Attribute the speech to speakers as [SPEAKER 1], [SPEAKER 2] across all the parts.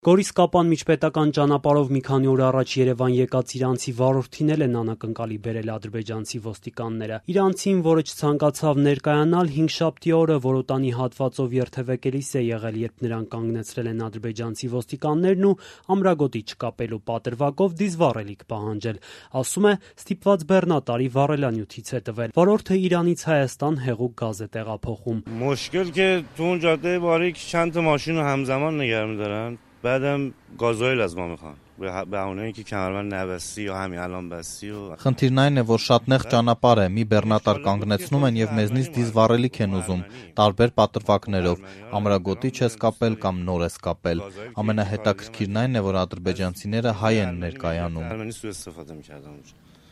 [SPEAKER 1] Գորիս-Կապան միջպետական ճանապարհով մի քանի օր առաջ Երևան եկած իրանցի վարորդին էլ են անակնկալի բերել ադրբեջանցի ոստիկանները։ Իրանցին, որը չցանկացավ ներկայանալ, հինգշաբթի օրը Որոտանի հատվածով երթևեկելիս է եղել, երբ նրան կանգնեցրել են ադրբեջանցի ոստիկաններն ու ամրագոտի չկապելու պատրվակով դիզվառելիք պահանջել։ Ասում է, ստիպված բեռնատարի վառելանյութից է տվել։ Վարորդը Իրանից Հայաստան հեղուկ գազ է տեղափոխում։
[SPEAKER 2] مشکل که تو اون جاده باریک چند تا ماشین رو همزمان نگه می‌دارن. بعدم گازوئیل از ما میخوان به بهونه اینکه کمربند نبستی یا همین الان بستی و
[SPEAKER 3] Խնդիրն այն է, որ շատ նեղ ճանապարհ է, մի բեռնատար կանգնեցնում են եւ մեզնից դիզվառելիք են ուզում, տարբեր պատրվակներով, ամրագոտի չես կապել կամ նոր ես կապել։ Ամենահետաքրքիրն այն է, որ ադրբեջանցիները հայ են ներկայանում։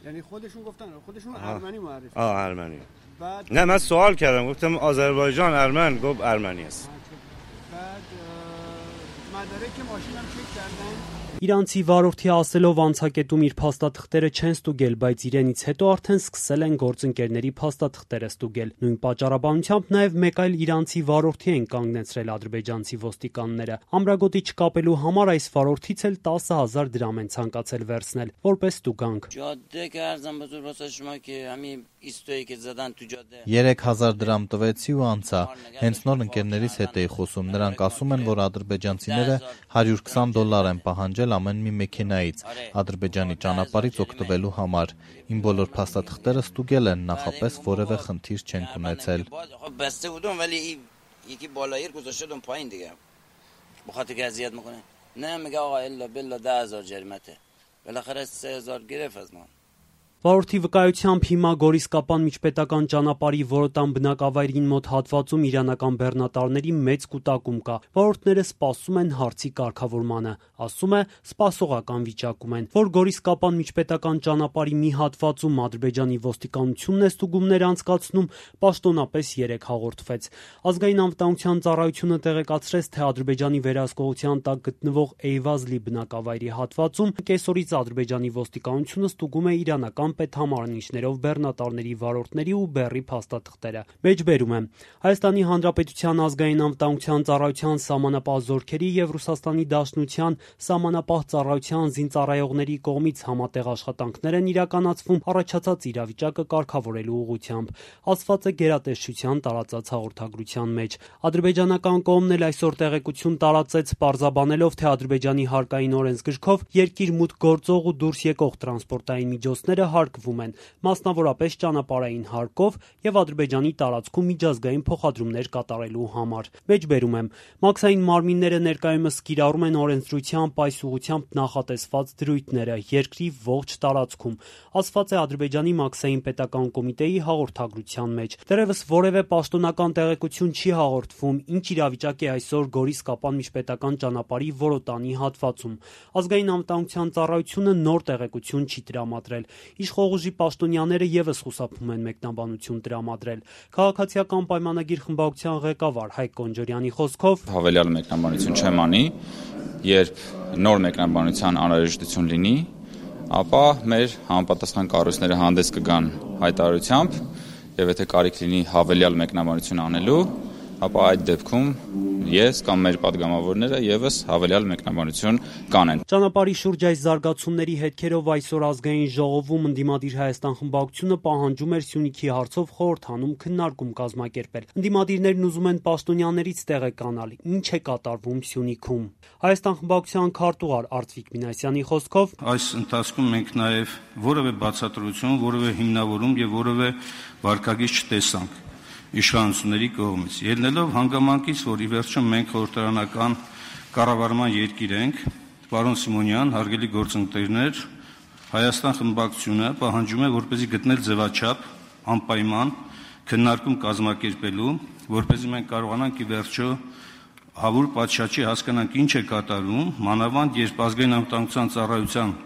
[SPEAKER 4] یعنی خودشون گفتن خودشون ارمنی معرفی
[SPEAKER 2] ارمنی نه من سوال کردم گفتم آذربایجان ارمن گفت ارمنی است
[SPEAKER 4] بعد مدارک ماشینم چک کردن
[SPEAKER 1] Իրանցի վարորդի ասելով անցակետում իր փաստաթղթերը չեն ստուգել, բայց իրենից հետո արդեն սկսել են գործընկերների փաստաթղթերը ստուգել։ Նույն պատճառաբանությամբ նաև մեկ այլ իրանցի վարորդի են կանգնեցրել ադրբեջանցի ոստիկանները։ Ամրագոտի չկապելու համար այս վարորդից էլ 10,000 դրամ են ցանկացել վերցնել, որպես ստուգանք։
[SPEAKER 3] 3000 դրամ տվեցի ու անցա։ Հենց նոր ընկերներիս հետ էի խոսում։ Նրանք ասում են, որ ադրբեջանցիները $120 են պահանջել ամեն մի մեքենայից Ադրբեջանի ճանապարհից օգտվելու համար։ Իմ բոլոր փաստաթղթերը ստուգել են, նախապես որևէ խնդիր չենք ունեցել։
[SPEAKER 1] Վարորդի վկայությամբ հիմա Գորիս-Կապան միջպետական ճանապարհի Որոտան բնակավայրին մոտ հատվածում իրանական բեռնատարների մեծ կուտակում կա։ Վարորդները սպասում են հարցի կարգավորմանը։ Ասում է, սպասողական վիճակում են, որ Գորիս-Կապան միջպետական ճանապարհի մի հատվածում Ադրբեջանի ոստիկանությունն է ստուգումներ անցկացնում, պաշտոնապես 3 հաղորդվեց։ Ազգային անվտանգության ծառայությունը տեղեկացրեց, թե Ադրբեջանի վերահսկողության տակ գտնվող Էյվազլի բնակավայրի հատվածում կեսօրից Ադրբեջանի ոստիկանությունը ստուգում է իրանական պետհամարանիշներով բեռնատարների վարորդների ու բեռի փաստաթղթերը։ Մեջբերում եմ, Հայաստանի Հանրապետության ազգային անվտանգության ծառայության սահմանապահ զորքերի եւ Ռուսաստանի Դաշնության սահմանապահ ծառայության զինծառայողների կողմից համատեղ աշխատանքներ են իրականացվում առաջացած իրավիճակը կարգավորելու ուղղությամբ, ասված է գերատեսչության տարածած հաղորդագրության մեջ։ Ադրբեջանական կողմն էլ այսօր տեղեկություն տարածեց, պարզաբանելով, թե Ադրբեջանի հարկային օրենսգրքով երկիր մուտք գործող ու դուրս եկող տրանսպորտային միջոցները հարկվում են, մասնավորապես ճանապարհային հարկով եւ Ադրբեջանի տարածքում միջազգային փոխադրումներ կատարելու համար։ Մեջբերում եմ, մաքսային մարմինները ներկայումս կիրառում են օրենսդրությամբ այս ուղղությամբ նախատեսված դրույթները երկրի ողջ տարածքում, ասված է Ադրբեջանի մաքսային պետական կոմիտեի հաղորդագրության մեջ։ Դեռևս որևէ պաշտոնական տեղեկություն չի հաղորդվում, ինչ իրավիճակ է այսօր Գորիս-Կապան միջպետական ճանապարհի Որոտանի հատվածում։ Ազգային անվտանգության ծառայությունը նոր տեղեկություն չի տրամադրել։ Իշխող ուժի պաշտոնյաները եւս խուսափում են մեկնաբանություն տրամադրել։ Քաղաքացիական պայմանագիր խմբակցության ղեկավար Հայկ Կոնջորյանի խոսքով
[SPEAKER 5] հավելյալ մեկնաբանություն չեմ անի, երբ նոր մեկնաբանության անհրաժեշտություն լինի, ապա մեր համապատասխան կառույցները հանդես կգան հայտարարությամբ, եւ եթե կարիք լինի հավելյալ մեկնաբանություն անելու, ապա այդ դեպքում ես կամ մեր падգամավորները եւս հավելյալ մեկնաբանություն կանեն։
[SPEAKER 1] Ճանապարհի շուրջ այս զարգացումների հետքերով այսօր ազգային ժողովում ընդդիմադիր Հայաստան խմբակցությունը պահանջում էր Սյունիքի հարցով խորհրդանում քննարկում կազմակերպել։ Ընդդիմադիրներն ուզում են պաշտոնյաներից տեղեկանալ, ինչ է կատարվում Սյունիքում։ Հայաստան խմբակցության քարտուղար Արծվիկ Մինասյանի խոսքով
[SPEAKER 6] այս ընթացքում մենք նաեւ որևէ բացատրություն, որևէ հիմնավորում եւ որևէ վարկագիծ չտեսանք իշխանությունների կողմից։ Ելնելով հանգամանքից, որ ի վերջո մենք խորհրդարանական կառավարման երկիր ենք, պարոն Սիմոնյան, հարգելի գործընկերներ, Հայաստան խմբակցությունը պահանջում է, որպեսզի գտնել ձևաչափ անպայման քննարկում կազմակերպելու, որպեսզի մենք կարողանանք ի վերջո հավուր պատշաճի հասկանանք ինչ է կատարվում, մանավանդ երբ ազգային անվտանգության ծառայության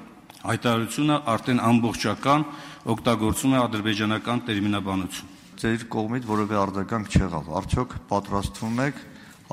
[SPEAKER 6] հայտարարությունը արդեն ամբողջական օգտագործում է ադրբեջանական տերմինաբանություն։
[SPEAKER 7] Ձեր կողմից որևէ արձագանք չեղավ։ Արդյոք պատրաստվում եք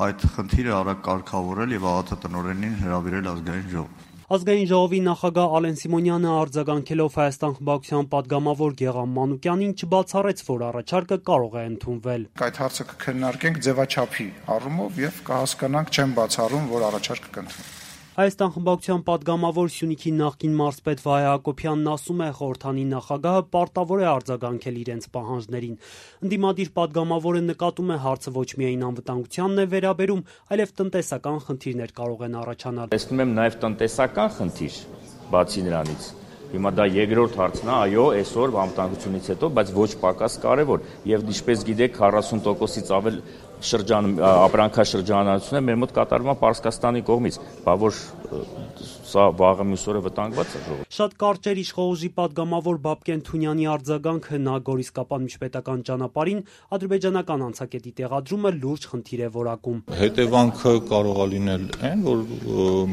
[SPEAKER 7] այդ խնդիրը արագ կարգավորել եւ ԱԱԹ տնօրենին հրավիրել ազգային ժողով։
[SPEAKER 1] Ազգային ժողովի նախագահ Ալեն Սիմոնյանը արձագանքելով Հայաստան խմբակցության падգամավոր Գեղամ Մանուկյանին չբացառեց, որ առաջարկը կարող է ընդունվել։
[SPEAKER 8] Այդ հարցը կքննարկենք ձևաչափի առումով եւ կհասկանանք, չեմ բացառում, որ առաջարկը կընդունվի։
[SPEAKER 1] Հայաստան խմբակցության պատգամավոր Սյունիքի նախկին մարզպետ Վահե Հակոբյանն ասում է, խորհրդանի նախագահը պարտավոր է արձագանքել իրենց պահանջներին։ Ընդդիմադիր պատգամավորը նկատում է, հարցը ոչ միայն անվտանգությանն է վերաբերում, այլև տնտեսական խնդիրներ կարող են առաջանալ։
[SPEAKER 8] Տեսնում եմ նաև տնտեսական խնդիր, բացի նրանից։ Հիմա դա երկրորդ հարցն է, այո, այսօր անվտանգությունից հետո, բայց ոչ պակաս կարևոր, եւ ինչպես գիտեք, 40%-ից ավել ապրանքաշրջանառությունը մեր մոտ կատարվում է Պարսկաստանի կողմից, բա որ սա վաղը մյուս օրը վտանգված է ժողովուրդ։
[SPEAKER 1] Շատ կարճ էր իշխողուժի պատգամավոր Բաբկեն Թունյանի արձագանքը, նա Գորիսկապան միջպետական ճանապարհին ադրբեջանական անցակետի տեղադրումը լուրջ խնդիր է որակում։
[SPEAKER 9] Հետևանքը կարող է լինել այն, որ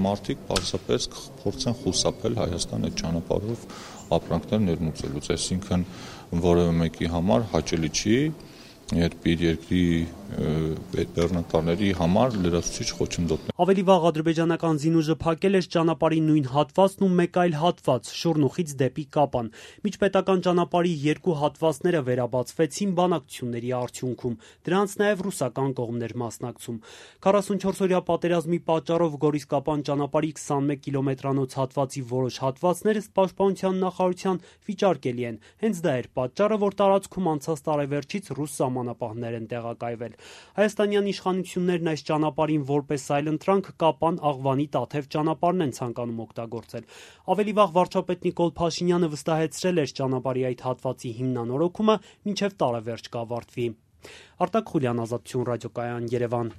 [SPEAKER 9] մարդիկ պարզապես փորձեն խուսափել Հայաստան այդ ճանապարհով ապրանքներ ներմուծելուց, այսինքն որևէ մեկի համար հաճելի չի, երբ իր երկրի բեռնատարների համար լրացուցիչ խոչընդոտներ։
[SPEAKER 1] Ավելի վաղ ադրբեջանական զինուժը փակել էր ճանապարհի նույն հատվածն ու մեկ այլ հատված՝ Շուռնուխից դեպի Կապան։ Միջպետական ճանապարհի երկու հատվածները վերաբացվեցին բանակցությունների արդյունքում։ Դրանց նաև ռուսական կողմն էր մասնակցում։ 44-օրյա պատերազմի պատճառով Գորիս-Կապան ճանապարհի 21 կիլոմետրանոց հատվածի որոշ հատվածներ ըստ Պաշտպանության նախարարության վիճարկելի են։ Հենց դա էր պատճառը, որ տարածքում անցած տարեվերջից ռուս սահմանապահներ են տեղակայվել։ Հայաստանյան իշխանություններն այս ճանապարհին որպես այլընտրանք Կապան, Աղվանի, Տաթև ճանապարհն են ցանկանում օգտագործել։ Ավելի վաղ վարչապետ Նիկոլ Փաշինյանը վստահեցրել էր ճանապարհի այդ հատվածի հիմնանորոգումը մինչև տարեվերջ կավարտվի։ Արտակ Խուլյան, Ազատություն ռադիոկայան, Երևան։